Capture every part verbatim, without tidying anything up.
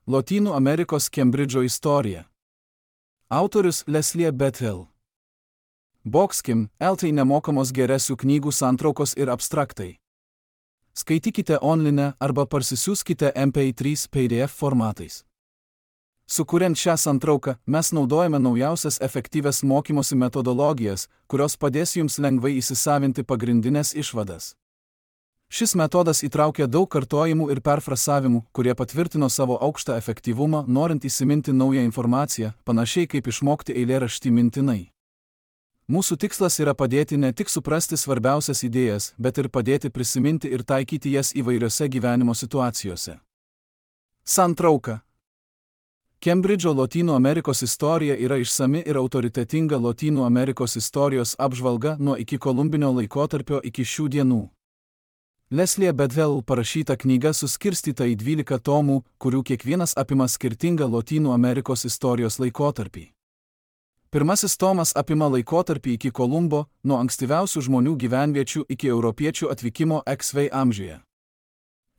Lotynų Amerikos Kembridžo istorija. Autorius Leslie Bethel. Boxkim, eltai nemokamos geresių knygų santraukos ir abstraktai. Skaitykite online arba parsisiųskite M P trys P D F formatais. Sukuriant šią santrauką, mes naudojame naujausias efektyvias mokymosi metodologijas, kurios padės jums lengvai įsisavinti pagrindinės išvadas. Šis metodas įtraukia daug kartojimų ir perfrasavimų, kurie patvirtino savo aukštą efektyvumą, norint įsiminti naują informaciją, panašiai kaip išmokti eilėraštį mintinai. Mūsų tikslas yra padėti ne tik suprasti svarbiausias idėjas, bet ir padėti prisiminti ir taikyti jas įvairiose gyvenimo situacijose. Santrauka. Kembridžo Lotynų Amerikos istorija yra išsami ir autoritetinga Lotynų Amerikos istorijos apžvalga nuo ikikolumbinio laikotarpio iki šių dienų. Leslie Bethel parašyta knyga suskirstyta į dvylika tomų, kurių kiekvienas apima skirtingą Lotynų Amerikos istorijos laikotarpį. Pirmasis tomas apima laikotarpį iki Kolumbo, nuo ankstyviausių žmonių gyvenviečių iki europiečių atvykimo X V amžiuje.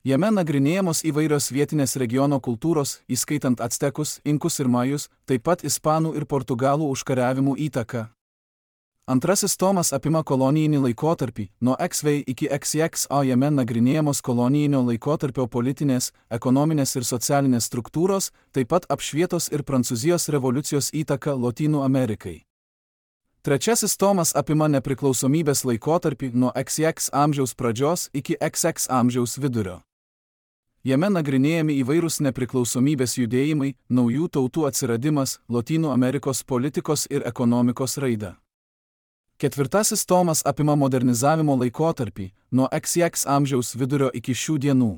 Jame nagrinėjamos įvairios vietinės regiono kultūros, įskaitant actekus, inkus ir majus, taip pat ispanų ir portugalų užkariavimų įtaką. Antrasis tomas apima kolonijinį laikotarpį, nuo X V iki X X, o jame nagrinėjamos kolonijinio laikotarpio politinės, ekonominės ir socialinės struktūros, taip pat apšvietos ir Prancūzijos revoliucijos įtaka Lotynų Amerikai. Trečiasis tomas apima nepriklausomybės laikotarpį nuo X X amžiaus pradžios iki X X amžiaus vidurio. Jame nagrinėjami įvairūs nepriklausomybės judėjimai, naujų tautų atsiradimas, Lotynų Amerikos politikos ir ekonomikos raida. Ketvirtasis tomas apima modernizavimo laikotarpį, nuo X X amžiaus vidurio iki šių dienų.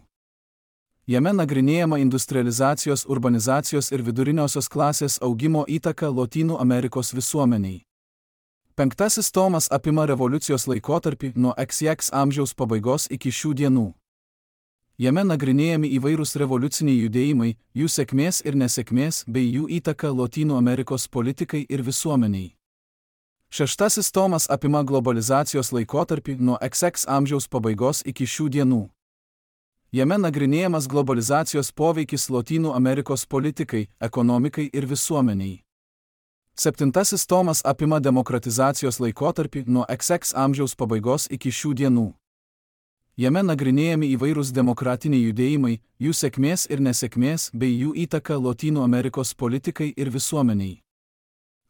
Jame nagrinėjama industrializacijos, urbanizacijos ir viduriniosios klasės augimo įtaka Lotynų Amerikos visuomeniai. Penktasis tomas apima revoliucijos laikotarpį nuo X X amžiaus pabaigos iki šių dienų. Jame nagrinėjami įvairūs revoliuciniai judėjimai, jų sėkmės ir nesėkmės bei jų įtaka Lotynų Amerikos politikai ir visuomeniai. Šeštasis tomas apima globalizacijos laikotarpį nuo X X amžiaus pabaigos iki šių dienų. Jame nagrinėjamas globalizacijos poveikis Lotynų Amerikos politikai, ekonomikai ir visuomeniai. Septintasis tomas apima demokratizacijos laikotarpį nuo X X amžiaus pabaigos iki šių dienų. Jame nagrinėjami įvairūs demokratiniai judėjimai, jų sėkmės ir nesėkmės bei jų įtaka Lotynų Amerikos politikai ir visuomeniai.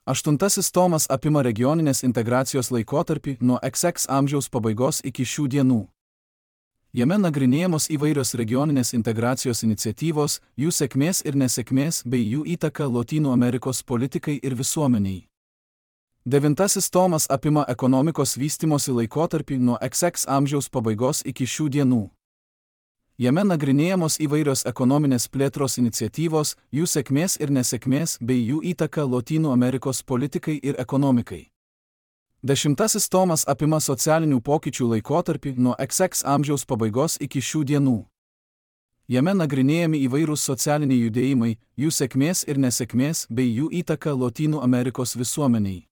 Aštuntasis tomas apima regioninės integracijos laikotarpį nuo X X amžiaus pabaigos iki šių dienų. Jame nagrinėjamos įvairios regioninės integracijos iniciatyvos, jų sėkmės ir nesėkmės bei jų įtaka Lotynų Amerikos politikai ir visuomeniai. Devintasis tomas apima ekonomikos vystymosi laikotarpį nuo X X amžiaus pabaigos iki šių dienų. Jame nagrinėjamos įvairios ekonominės plėtros iniciatyvos, jų sėkmės ir nesėkmės bei jų įtaka Lotynų Amerikos politikai ir ekonomikai. Dešimtasis tomas apima socialinių pokyčių laikotarpį nuo X X amžiaus pabaigos iki šių dienų. Jame nagrinėjami įvairūs socialiniai judėjimai, jų sėkmės ir nesėkmės bei jų įtaka Lotynų Amerikos visuomeniai.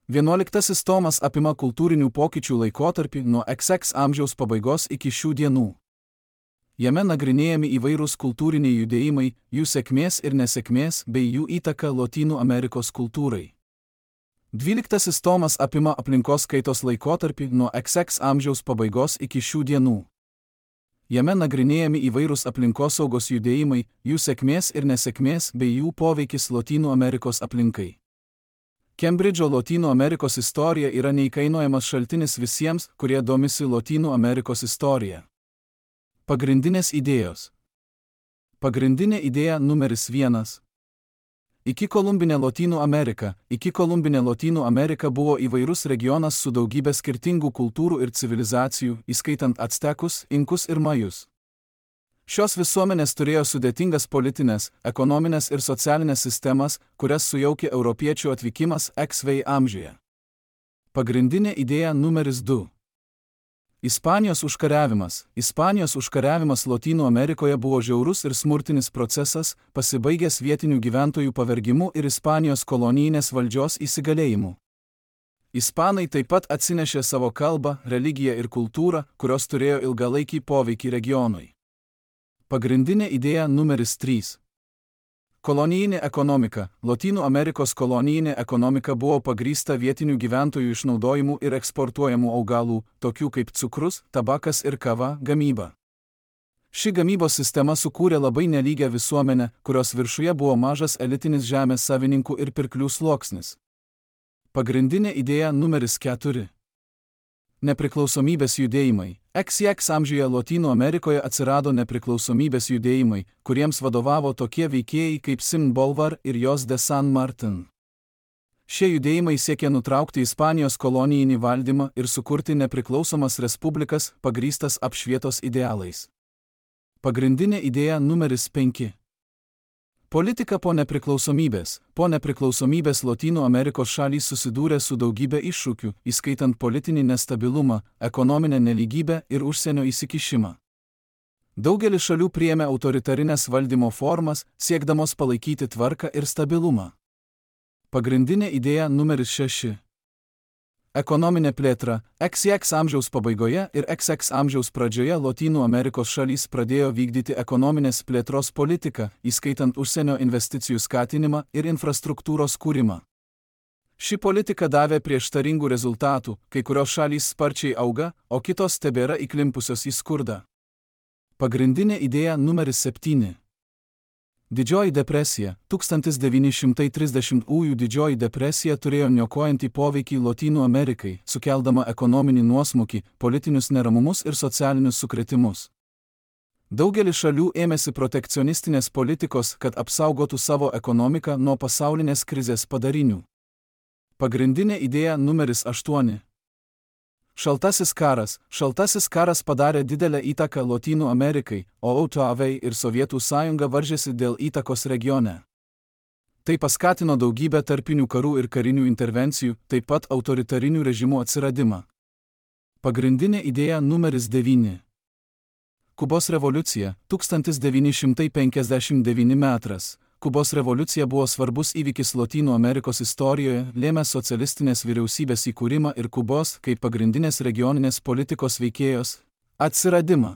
Vienuoliktasis tomas apima kultūrinių pokyčių laikotarpį nuo X X amžiaus pabaigos iki šių dienų. Jame nagrinėjami įvairūs kultūriniai judėjimai, jų sėkmės ir nesėkmės bei jų įtaka Lotynų Amerikos kultūrai. Dvyliktasis tomas apima aplinkos kaitos laikotarpį nuo X X amžiaus pabaigos iki šių dienų. Jame nagrinėjami įvairūs aplinkosaugos judėjimai, jų sėkmės ir nesėkmės bei jų poveikis Lotynų Amerikos aplinkai. Kembridžo Lotynų Amerikos istorija yra neįkainojamas šaltinis visiems, kurie domisi Lotynų Amerikos istorija. Pagrindinės idėjos. Pagrindinė idėja numeris vienas. Ikikolumbinė Lotynų Amerika. Ikikolumbinė Lotynų Amerika buvo įvairus regionas su daugybė skirtingų kultūrų ir civilizacijų, įskaitant actekus, inkus ir majus. Šios visuomenės turėjo sudėtingas politinės, ekonominės ir socialinės sistemas, kurias sujaukė europiečių atvykimas X V amžiuje. Pagrindinė idėja numeris du. Ispanijos užkariavimas. Ispanijos užkariavimas Lotynų Amerikoje buvo žiaurus ir smurtinis procesas, pasibaigęs vietinių gyventojų pavergimu ir Ispanijos kolonijinės valdžios įsigalėjimu. Ispanai taip pat atsinešė savo kalbą, religiją ir kultūrą, kurios turėjo ilgalaikį poveikį regionui. Pagrindinė idėja numeris trys. Kolonijinė ekonomika. Lotynų Amerikos kolonijinė ekonomika buvo pagrįsta vietinių gyventojų išnaudojimu ir eksportuojamų augalų, tokių kaip cukrus, tabakas ir kava, gamyba. Ši gamybos sistema sukūrė labai nelygią visuomenę, kurios viršuje buvo mažas elitinis žemės savininkų ir pirklių sluoksnis. Pagrindinė idėja numeris keturi. Nepriklausomybės judėjimai. X X amžiuje Lotynų Amerikoje atsirado nepriklausomybės judėjimai, kuriems vadovavo tokie veikėjai kaip Simón Bolívar ir José de San Martín. Šie judėjimai siekė nutraukti Ispanijos kolonijinį valdymą ir sukurti nepriklausomas respublikas pagrįstas apšvietos idealais. Pagrindinė idėja numeris penki. Politika po nepriklausomybės. Po nepriklausomybės Lotynų Amerikos šalys susidūrė su daugybė iššūkių, įskaitant politinį nestabilumą, ekonominę nelygybę ir užsienio įsikišimą. Daugelis šalių priėmė autoritarinės valdymo formas, siekdamos palaikyti tvarką ir stabilumą. Pagrindinė idėja numeris šeši. Ekonominė plėtra. X X amžiaus pabaigoje ir X X amžiaus pradžioje Lotynų Amerikos šalys pradėjo vykdyti ekonominės plėtros politiką, įskaitant užsienio investicijų skatinimą ir infrastruktūros kūrimą. Ši politika davė prieštaringų rezultatų, kai kurios šalys sparčiai auga, o kitos tebėra įklimpusios į skurdą. Pagrindinė idėja numeris septyni. Didžioji depresija. tūkstantis devyni šimtai trisdešimtųjų Didžioji depresija turėjo niokojantį poveikį Lotynų Amerikai, sukeldama ekonominį nuosmukį, politinius neramumus ir socialinius sukrėtimus. Daugelis šalių ėmėsi protekcionistinės politikos, kad apsaugotų savo ekonomiką nuo pasaulinės krizės padarinių. Pagrindinė idėja numeris aštuoni. Šaltasis karas. Šaltasis karas padarė didelę įtaką Lotynų Amerikai, o O T V ir Sovietų sąjunga varžėsi dėl įtakos regione. Tai paskatino daugybę tarpinių karų ir karinių intervencijų, taip pat autoritarinių režimų atsiradimą. Pagrindinė idėja numeris devyni. Kubos revoliucija. tūkstantis devyni šimtai penkiasdešimt devyni metras. Kubos revoliucija buvo svarbus įvykis Lotynų Amerikos istorijoje, lėmęs socialistinės vyriausybės įkūrimą ir Kubos, kaip pagrindinės regioninės politikos veikėjos, atsiradimą.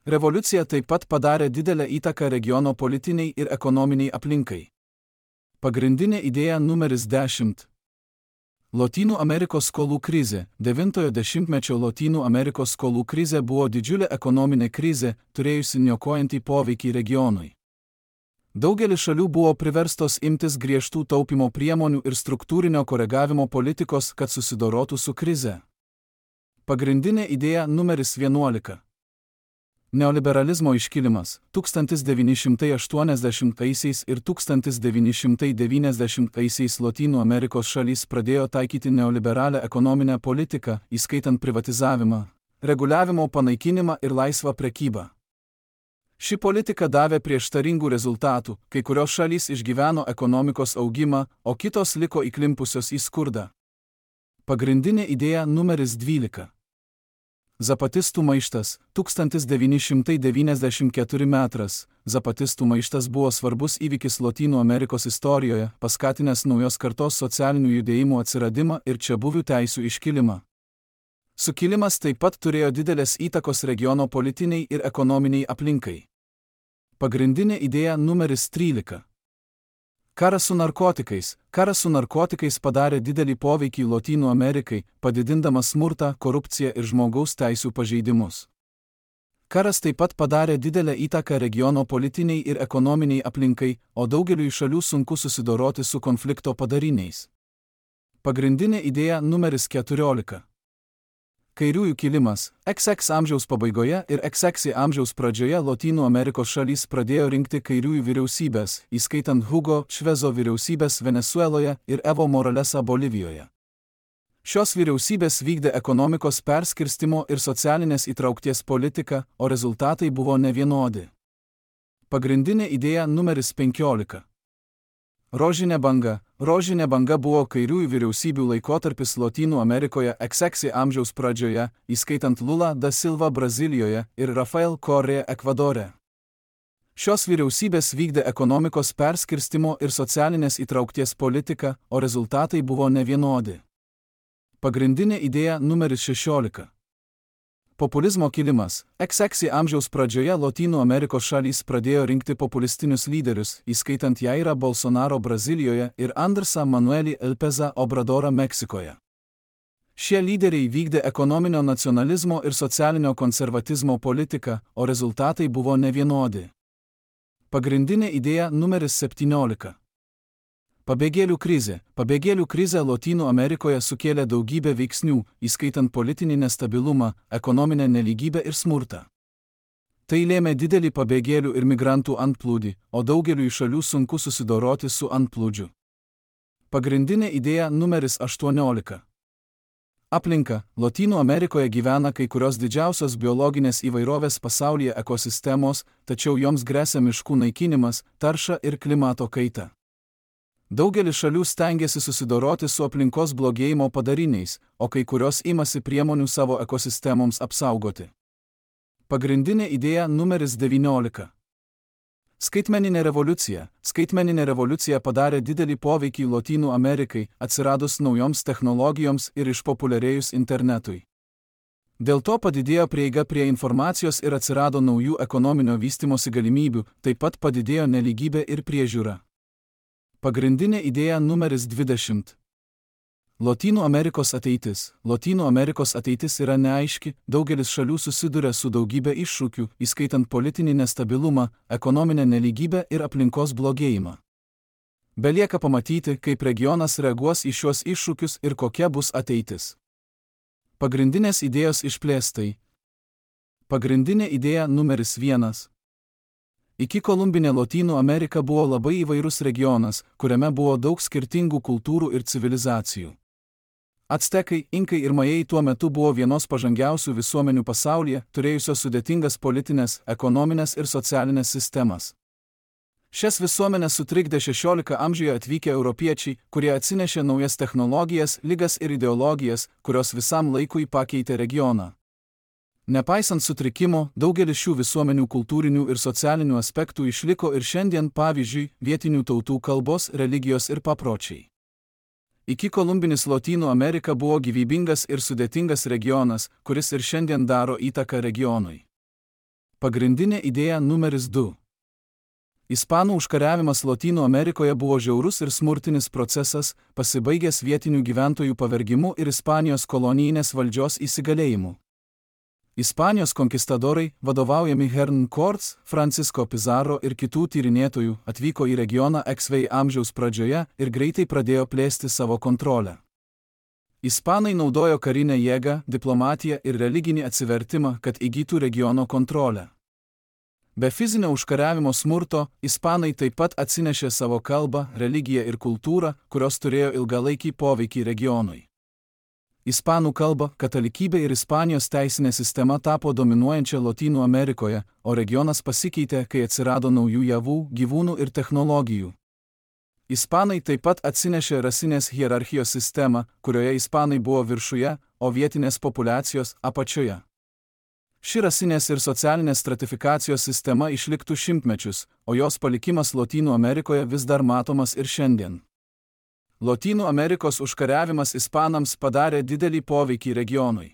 Revoliucija taip pat padarė didelę įtaką regiono politiniai ir ekonominiai aplinkai. Pagrindinė idėja numeris dešimt. Lotynų Amerikos skolų krizė. Devintojo dešimtmečio Lotynų Amerikos skolų krizė buvo didžiulė ekonominė krizė, turėjusi niokojantį poveikį regionui. Daugelis šalių buvo priverstos imtis griežtų taupymo priemonių ir struktūrinio koregavimo politikos, kad susidorotų su krize. Pagrindinė idėja numeris vienuolika. Neoliberalizmo iškilimas. tūkstantis devyni šimtai aštuoniasdešimtaisiais ir tūkstantis devyni šimtai devyniasdešimtaisiais Lotynų Amerikos šalys pradėjo taikyti neoliberalią ekonominę politiką, įskaitant privatizavimą, reguliavimo panaikinimą ir laisvą prekybą. Ši politika davė prieštaringų rezultatų, kai kurios šalys išgyveno ekonomikos augimą, o kitos liko įklimpusios į skurdą. Pagrindinė idėja numeris dvylika. Zapatistų maištas. tūkstantis devyni šimtai devyniasdešimt keturi metras. Zapatistų maištas buvo svarbus įvykis Lotynų Amerikos istorijoje, paskatinęs naujos kartos socialinių judėjimų atsiradimą ir čiabuvių teisių iškilimą. Sukilimas taip pat turėjo didelės įtakos regiono politiniai ir ekonominiai aplinkai. Pagrindinė idėja numeris trylika. Karas su narkotikais. Karas su narkotikais padarė didelį poveikį Lotynų Amerikai, padidindamas smurtą, korupciją ir žmogaus teisių pažeidimus. Karas taip pat padarė didelę įtaką regiono politiniai ir ekonominiai aplinkai, o daugeliui šalių sunku susidoroti su konflikto padariniais. Pagrindinė idėja numeris keturiolika. Kairiųjų kilimas. X X amžiaus pabaigoje ir X X amžiaus pradžioje Lotynų Amerikos šalys pradėjo rinkti kairiųjų vyriausybės, įskaitant Hugo Čvezo vyriausybės Venesueloje ir Evo Moralesą Bolivijoje. Šios vyriausybės vykdė ekonomikos perskirstimo ir socialinės įtraukties politiką, o rezultatai buvo nevienodi. Pagrindinė idėja numeris penkiolika. Rožinė banga. Rožinė banga buvo kairiųjų vyriausybių laikotarpis Lotynų Amerikoje X X amžiaus pradžioje, įskaitant Lula da Silva Brazilijoje ir Rafael Correa Ekvadore. Šios vyriausybės vykdė ekonomikos perskirstimo ir socialinės įtraukties politiką, o rezultatai buvo nevienodi. Pagrindinė idėja numeris šešiolika. Populizmo kilimas. iks iks amžiaus pradžioje Lotynų Amerikos šalys pradėjo rinkti populistinius lyderius, įskaitant Jairą Bolsonaro Brazilijoje ir Andresą Manuelį Lopezą Obradorą Meksikoje. Šie lyderiai vykdė ekonominio nacionalizmo ir socialinio konservatizmo politiką, o rezultatai buvo nevienodi. Pagrindinė idėja numeris septyniolika. Pabėgėlių krizė. Pabėgėlių krizė Lotynų Amerikoje sukėlė daugybę veiksnių, įskaitant politinį nestabilumą, ekonominę nelygybę ir smurtą. Tai lėmė didelį pabėgėlių ir migrantų antplūdį, o daugeliui šalių sunku susidoroti su antplūdžiu. Pagrindinė idėja numeris aštuoniolika. Aplinka. Lotynų Amerikoje gyvena kai kurios didžiausios biologinės įvairovės pasaulyje ekosistemos, tačiau joms gresia miškų naikinimas, tarša ir klimato kaita. Daugelis šalių stengiasi susidoroti su aplinkos blogėjimo padariniais, o kai kurios imasi priemonių savo ekosistemoms apsaugoti. Pagrindinė idėja numeris devyniolika. Skaitmeninė revoliucija. Skaitmeninė revoliucija padarė didelį poveikį Lotynų Amerikai, atsiradus naujoms technologijoms ir išpopuliarėjus internetui. Dėl to padidėjo prieiga prie informacijos ir atsirado naujų ekonominio vystymosi galimybių, taip pat padidėjo nelygybė ir priežiūra. Pagrindinė idėja numeris dvidešimt. Lotynų Amerikos ateitis. Lotynų Amerikos ateitis yra neaiški, daugelis šalių susiduria su daugybė iššūkių, įskaitant politinį nestabilumą, ekonominę nelygybę ir aplinkos blogėjimą. Belieka pamatyti, kaip regionas reaguos į šiuos iššūkius ir kokia bus ateitis. Pagrindinės idėjos išplėstai. Pagrindinė idėja numeris vienas. Iki kolumbinė Lotynų Amerika buvo labai įvairus regionas, kuriame buvo daug skirtingų kultūrų ir civilizacijų. Actekai, inkai ir majai tuo metu buvo vienos pažangiausių visuomenių pasaulyje, turėjusios sudėtingas politinės, ekonominės ir socialinės sistemas. Šias visuomenės sutrikdė šešioliktame amžiuje atvykę europiečiai, kurie atsinešė naujas technologijas, ligas ir ideologijas, kurios visam laikui pakeitė regioną. Nepaisant sutrikimo, daugelis šių visuomenių kultūrinių ir socialinių aspektų išliko ir šiandien, pavyzdžiui, vietinių tautų kalbos, religijos ir papročiai. Iki kolumbinis Lotynų Amerika buvo gyvybingas ir sudėtingas regionas, kuris ir šiandien daro įtaką regionui. Pagrindinė idėja numeris du. Ispanų užkariavimas Lotynų Amerikoje buvo žiaurus ir smurtinis procesas, pasibaigęs vietinių gyventojų pavergimu ir Ispanijos kolonijinės valdžios įsigalėjimu. Ispanijos konkistadorai, vadovaujami Hernán Cortés, Francisco Pizarro ir kitų tyrinėtojų, atvyko į regioną iks iks amžiaus pradžioje ir greitai pradėjo plėsti savo kontrolę. Ispanai naudojo karinę jėgą, diplomatiją ir religinį atsivertimą, kad įgytų regiono kontrolę. Be fizinio užkariavimo smurto, ispanai taip pat atsinešė savo kalbą, religiją ir kultūrą, kurios turėjo ilgalaikį poveikį regionui. Ispanų kalba, katalikybė ir Ispanijos teisinė sistema tapo dominuojančia Lotynų Amerikoje, o regionas pasikeitė, kai atsirado naujų javų, gyvūnų ir technologijų. Ispanai taip pat atsinešė rasinės hierarchijos sistemą, kurioje ispanai buvo viršuje, o vietinės populiacijos apačioje. Ši rasinės ir socialinės stratifikacijos sistema išliktų šimtmečius, o jos palikimas Lotynų Amerikoje vis dar matomas ir šiandien. Lotynų Amerikos užkariavimas ispanams padarė didelį poveikį regionui.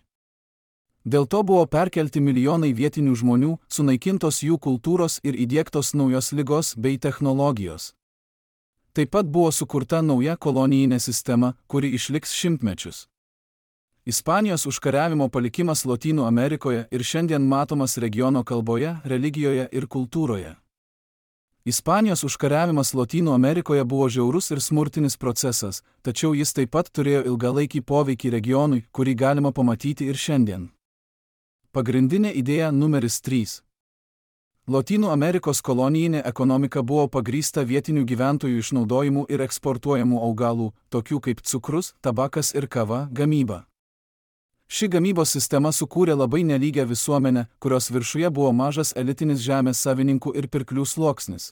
Dėl to buvo perkelti milijonai vietinių žmonių, sunaikintos jų kultūros ir įdiegtos naujos ligos bei technologijos. Taip pat buvo sukurta nauja kolonijinė sistema, kuri išliks šimtmečius. Ispanijos užkariavimo palikimas Lotynų Amerikoje ir šiandien matomas regiono kalboje, religijoje ir kultūroje. Ispanijos užkariavimas Lotynų Amerikoje buvo žiaurus ir smurtinis procesas, tačiau jis taip pat turėjo ilgalaikį poveikį regionui, kurį galima pamatyti ir šiandien. Pagrindinė idėja numeris trys. Lotynų Amerikos kolonijinė ekonomika buvo pagrįsta vietinių gyventojų išnaudojimu ir eksportuojamų augalų, tokių kaip cukrus, tabakas ir kava, gamyba. Ši gamybos sistema sukūrė labai nelygę visuomenę, kurios viršuje buvo mažas elitinis žemės savininkų ir pirklių sluoksnis.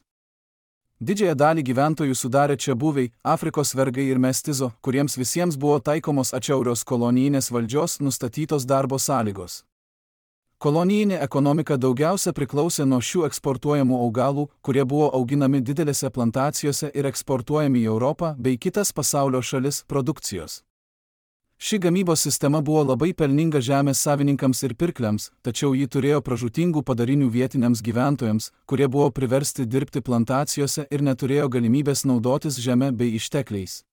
Didžiąją dalį gyventojų sudarė čiabuviai, Afrikos vergai ir mestizo, kuriems visiems buvo taikomos atšiaurios kolonijinės valdžios nustatytos darbo sąlygos. Kolonijinė ekonomika daugiausia priklausė nuo šių eksportuojamų augalų, kurie buvo auginami didelėse plantacijose ir eksportuojami į Europą bei kitas pasaulio šalis produkcijos. Ši gamybos sistema buvo labai pelninga žemės savininkams ir pirkliams, tačiau ji turėjo pražūtingų padarinių vietiniams gyventojams, kurie buvo priversti dirbti plantacijose ir neturėjo galimybės naudotis žeme bei ištekliais.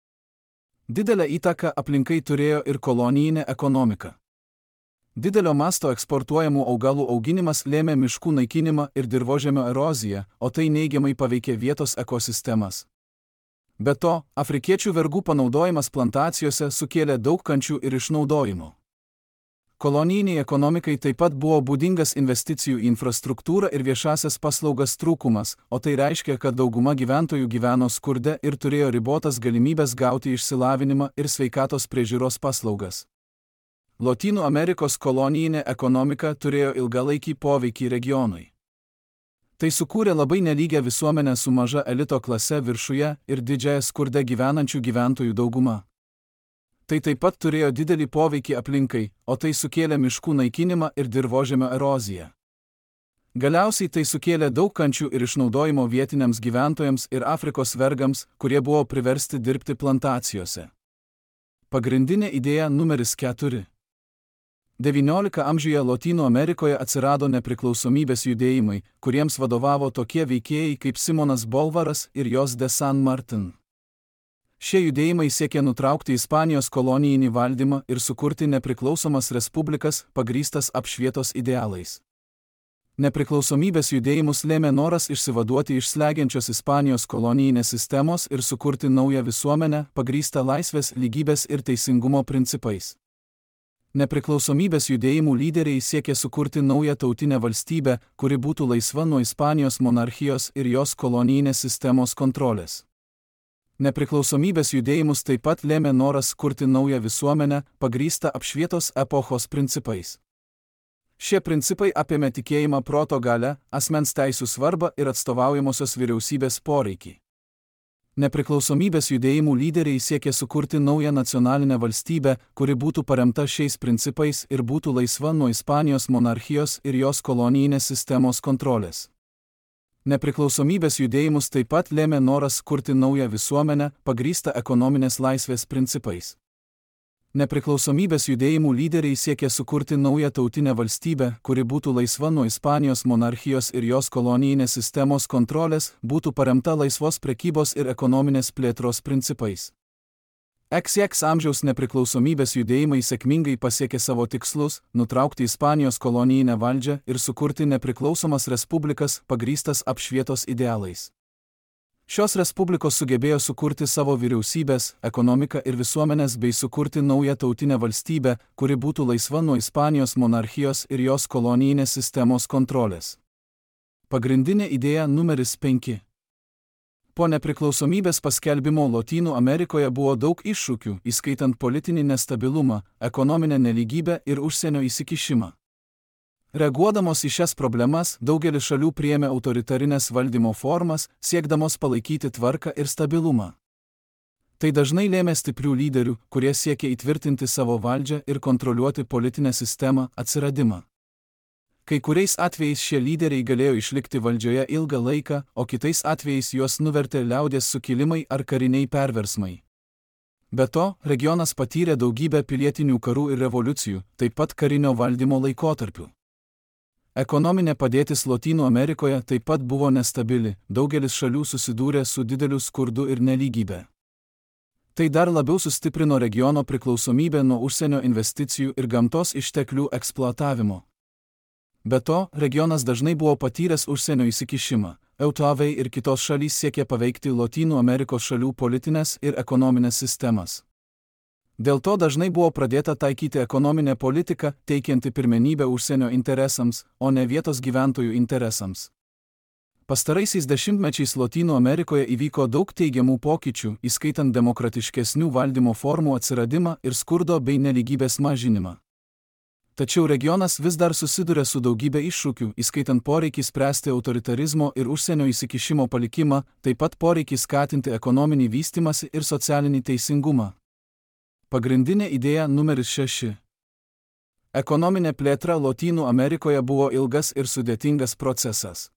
Didelę įtaką aplinkai turėjo ir kolonijinė ekonomika. Didelio masto eksportuojamų augalų auginimas lėmė miškų naikinimą ir dirvožemio eroziją, o tai neigiamai paveikė vietos ekosistemas. Be to, afrikiečių vergų panaudojimas plantacijose sukėlė daug kančių ir išnaudojimų. Kolonijiniai ekonomikai taip pat buvo būdingas investicijų į infrastruktūrą ir viešasias paslaugas trūkumas, o tai reiškia, kad dauguma gyventojų gyveno skurde ir turėjo ribotas galimybės gauti išsilavinimą ir sveikatos priežiūros paslaugas. Lotynų Amerikos kolonijinė ekonomika turėjo ilgalaikį poveikį regionui. Tai sukūrė labai nelygę visuomenę su maža elito klase viršuje ir didžiąją skurde gyvenančių gyventojų dauguma. Tai taip pat turėjo didelį poveikį aplinkai, o tai sukėlė miškų naikinimą ir dirvožemio eroziją. Galiausiai tai sukėlė daug kančių ir išnaudojimo vietiniams gyventojams ir Afrikos vergams, kurie buvo priversti dirbti plantacijose. Pagrindinė idėja numeris keturi. devynioliktajame amžiuje Lotynų Amerikoje atsirado nepriklausomybės judėjimai, kuriems vadovavo tokie veikėjai kaip Simonas Bolvaras ir Jos de San Martin. Šie judėjimai siekė nutraukti Ispanijos kolonijinį valdymą ir sukurti nepriklausomas respublikas pagrįstas apšvietos idealais. Nepriklausomybės judėjimus lėmė noras išsivaduoti iš slegiančios Ispanijos kolonijinės sistemos ir sukurti naują visuomenę pagrįstą laisvės, lygybės ir teisingumo principais. Nepriklausomybės judėjimų lyderiai siekė sukurti naują tautinę valstybę, kuri būtų laisva nuo Ispanijos monarchijos ir jos kolonijinės sistemos kontrolės. Nepriklausomybės judėjimus taip pat lėmė noras kurti naują visuomenę, pagrįstą apšvietos epochos principais. Šie principai apėmė tikėjimą proto galia, asmens teisių svarbą ir atstovaujamosios vyriausybės poreikį. Nepriklausomybės judėjimų lyderiai siekė sukurti naują nacionalinę valstybę, kuri būtų paremta šiais principais ir būtų laisva nuo Ispanijos monarchijos ir jos kolonijinės sistemos kontrolės. Nepriklausomybės judėjimus taip pat lėmė noras kurti naują visuomenę, pagrįstą ekonominės laisvės principais. Nepriklausomybės judėjimų lyderiai siekė sukurti naują tautinę valstybę, kuri būtų laisva nuo Ispanijos monarchijos ir jos kolonijinės sistemos kontrolės, būtų paremta laisvos prekybos ir ekonominės plėtros principais. X X amžiaus nepriklausomybės judėjimai sėkmingai pasiekė savo tikslus – nutraukti Ispanijos kolonijinę valdžią ir sukurti nepriklausomas respublikas pagrįstas apšvietos idealais. Šios respublikos sugebėjo sukurti savo vyriausybės, ekonomiką ir visuomenės bei sukurti naują tautinę valstybę, kuri būtų laisva nuo Ispanijos monarchijos ir jos kolonijinės sistemos kontrolės. Pagrindinė idėja numeris penki. Po nepriklausomybės paskelbimo Lotynų Amerikoje buvo daug iššūkių, įskaitant politinį nestabilumą, ekonominę nelygybę ir užsienio įsikišimą. Reaguodamos į šias problemas, daugelis šalių priėmė autoritarinės valdymo formas, siekdamos palaikyti tvarką ir stabilumą. Tai dažnai lėmė stiprių lyderių, kurie siekė įtvirtinti savo valdžią ir kontroliuoti politinę sistemą, atsiradimą. Kai kuriais atvejais šie lyderiai galėjo išlikti valdžioje ilgą laiką, o kitais atvejais juos nuvertė liaudies sukilimai ar kariniai perversmai. Be to, regionas patyrė daugybę pilietinių karų ir revoliucijų, taip pat karinio valdymo laikotarpių. Ekonominė padėtis Lotynų Amerikoje taip pat buvo nestabili, daugelis šalių susidūrė su dideliu skurdu ir nelygybė. Tai dar labiau sustiprino regiono priklausomybę nuo užsienio investicijų ir gamtos išteklių eksploatavimo. Be to, regionas dažnai buvo patyręs užsienio įsikišimą. Eutovai ir kitos šalys siekė paveikti Lotynų Amerikos šalių politinės ir ekonominės sistemas. Dėl to dažnai buvo pradėta taikyti ekonominę politiką, teikianti pirmenybę užsienio interesams, o ne vietos gyventojų interesams. Pastaraisiais dešimtmečiais Lotynų Amerikoje įvyko daug teigiamų pokyčių, įskaitant demokratiškesnių valdymo formų atsiradimą ir skurdo bei nelygybės mažinimą. Tačiau regionas vis dar susiduria su daugybė iššūkių, įskaitant poreikį spręsti autoritarizmo ir užsienio įsikišimo palikimą, taip pat poreikį skatinti ekonominį vystymąsi ir socialinį teisingumą. Pagrindinė idėja numeris šeši. Ekonominė plėtra Lotynų Amerikoje buvo ilgas ir sudėtingas procesas.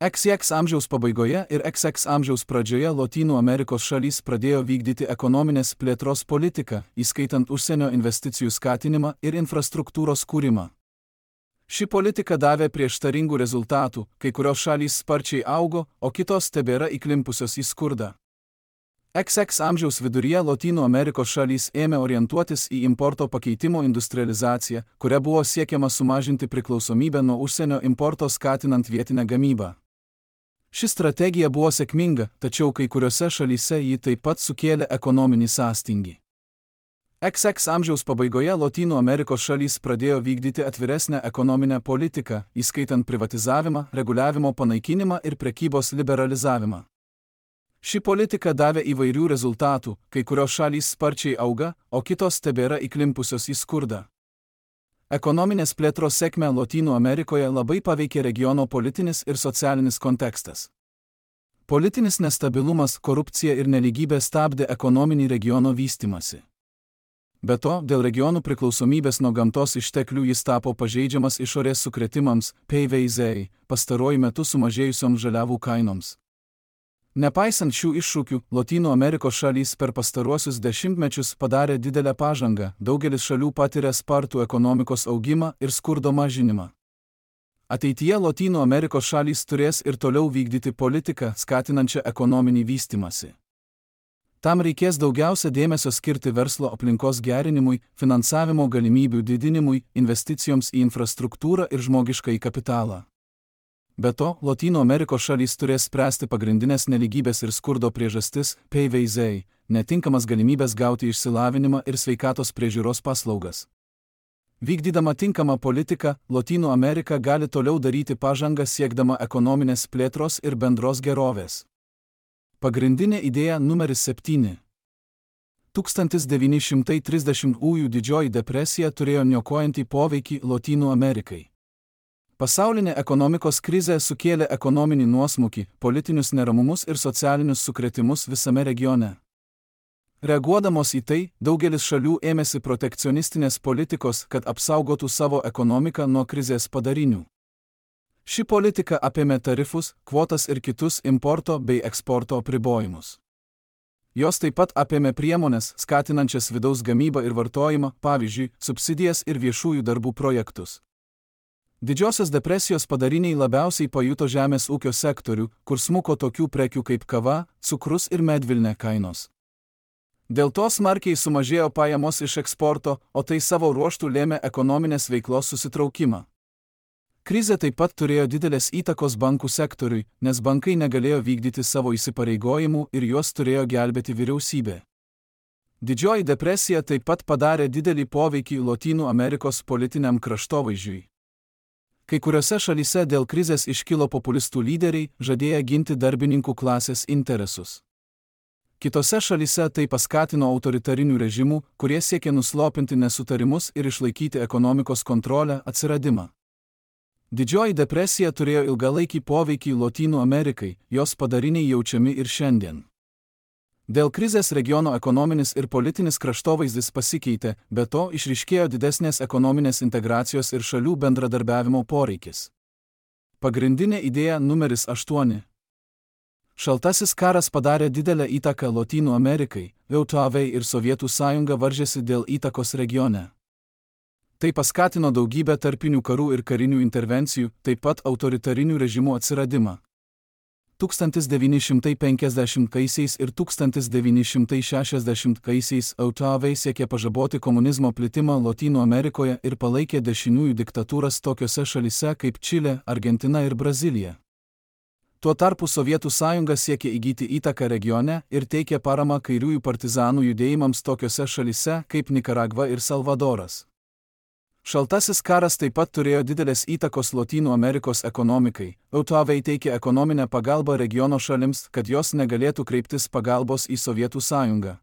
X X amžiaus pabaigoje ir X X amžiaus pradžioje Lotynų Amerikos šalys pradėjo vykdyti ekonominės plėtros politiką, įskaitant užsienio investicijų skatinimą ir infrastruktūros kūrimą. Ši politika davė prieštaringų rezultatų, kai kurios šalys sparčiai augo, o kitos tebėra įklimpusios į skurdą. X X amžiaus viduryje Lotynų Amerikos šalys ėmė orientuotis į importo pakeitimo industrializaciją, kuria buvo siekiama sumažinti priklausomybę nuo užsienio importo skatinant vietinę gamybą. Ši strategija buvo sėkminga, tačiau kai kuriuose šalyse ji taip pat sukėlė ekonominį sąstingį. X X amžiaus pabaigoje Lotynų Amerikos šalys pradėjo vykdyti atviresnę ekonominę politiką, įskaitant privatizavimą, reguliavimo panaikinimą ir prekybos liberalizavimą. Ši politika davė įvairių rezultatų, kai kurios šalys sparčiai auga, o kitos tebėra įklimpusios į skurdą. Ekonominės plėtros sėkmę Lotynų Amerikoje labai paveikė regiono politinis ir socialinis kontekstas. Politinis nestabilumas, korupcija ir nelygybė stabdė ekonominį regiono vystymąsi. Be to, dėl regionų priklausomybės nuo gamtos išteklių jis tapo pažeidžiamas išorės sukrėtimams, P V Z, pastaruoju metu sumažėjusioms žaliavų kainoms. Nepaisant šių iššūkių, Lotynų Amerikos šalys per pastaruosius dešimtmečius padarė didelę pažangą, daugelis šalių patiria spartų ekonomikos augimą ir skurdo mažinimą. Ateityje Lotynų Amerikos šalys turės ir toliau vykdyti politiką, skatinančią ekonominį vystymąsi. Tam reikės daugiausia dėmesio skirti verslo aplinkos gerinimui, finansavimo galimybių didinimui, investicijoms į infrastruktūrą ir žmogiškąjį kapitalą. Be to, Lotynų Amerikos šalys turės spręsti pagrindinės nelygybės ir skurdo priežastis, P V Z, netinkamas galimybės gauti išsilavinimą ir sveikatos priežiūros paslaugas. Vykdydama tinkamą politiką, Lotynų Amerika gali toliau daryti pažangą siekdama ekonominės plėtros ir bendros gerovės. Pagrindinė idėja numeris septyni. tūkstantis devyni šimtai trisdešimtųjų didžioji depresija turėjo niokojantį poveikį Lotynų Amerikai. Pasaulinė ekonomikos krizė sukėlė ekonominį nuosmukį, politinius neramumus ir socialinius sukrėtimus visame regione. Reaguodamos į tai, daugelis šalių ėmėsi protekcionistinės politikos, kad apsaugotų savo ekonomiką nuo krizės padarinių. Ši politika apėmė tarifus, kvotas ir kitus importo bei eksporto apribojimus. Jos taip pat apėmė priemonės, skatinančias vidaus gamybą ir vartojimą, pavyzdžiui, subsidijas ir viešųjų darbų projektus. Didžiosios depresijos padariniai labiausiai pajuto žemės ūkio sektorių, kur smuko tokių prekių kaip kava, cukrus ir medvilnė kainos. Dėl to smarkiai sumažėjo pajamos iš eksporto, o tai savo ruožtų lėmė ekonominės veiklos susitraukimą. Krizė taip pat turėjo didelės įtakos bankų sektoriui, nes bankai negalėjo vykdyti savo įsipareigojimų ir juos turėjo gelbėti vyriausybė. Didžioji depresija taip pat padarė didelį poveikį Lotynų Amerikos politiniam kraštovaizdžiui. Kai kuriuose šalyse dėl krizės iškilo populistų lyderiai, žadėję ginti darbininkų klasės interesus. Kitose šalyse tai paskatino autoritarinių režimų, kurie siekė nuslopinti nesutarimus ir išlaikyti ekonomikos kontrolę, atsiradimą. Didžioji depresija turėjo ilgalaikį poveikį Lotynų Amerikai, jos padariniai jaučiami ir šiandien. Dėl krizės regiono ekonominis ir politinis kraštovaizdis pasikeitė, be to išryškėjo didesnės ekonominės integracijos ir šalių bendradarbiavimo poreikis. Pagrindinė idėja numeris aštuoni. Šaltasis karas padarė didelę įtaką Lotynų Amerikai, V T V ir Sovietų sąjunga varžėsi dėl įtakos regione. Tai paskatino daugybę tarpinių karų ir karinių intervencijų, taip pat autoritarinių režimų atsiradimą. tūkstantis devyni šimtai penkiasdešimtaisiais ir tūkstantis devyni šimtai šešiasdešimtaisiais V T V siekė pažaboti komunizmo plitimą Lotynų Amerikoje ir palaikė dešiniųjų diktatūras tokiose šalyse kaip Čilė, Argentina ir Brazilija. Tuo tarpu Sovietų sąjunga siekė įgyti įtaką regione ir teikė paramą kairiųjų partizanų judėjimams tokiose šalyse kaip Nikaragva ir Salvadoras. Šaltasis karas taip pat turėjo didelės įtakos Lotynų Amerikos ekonomikai. V T V teikė ekonominę pagalbą regiono šalims, kad jos negalėtų kreiptis pagalbos į Sovietų sąjungą.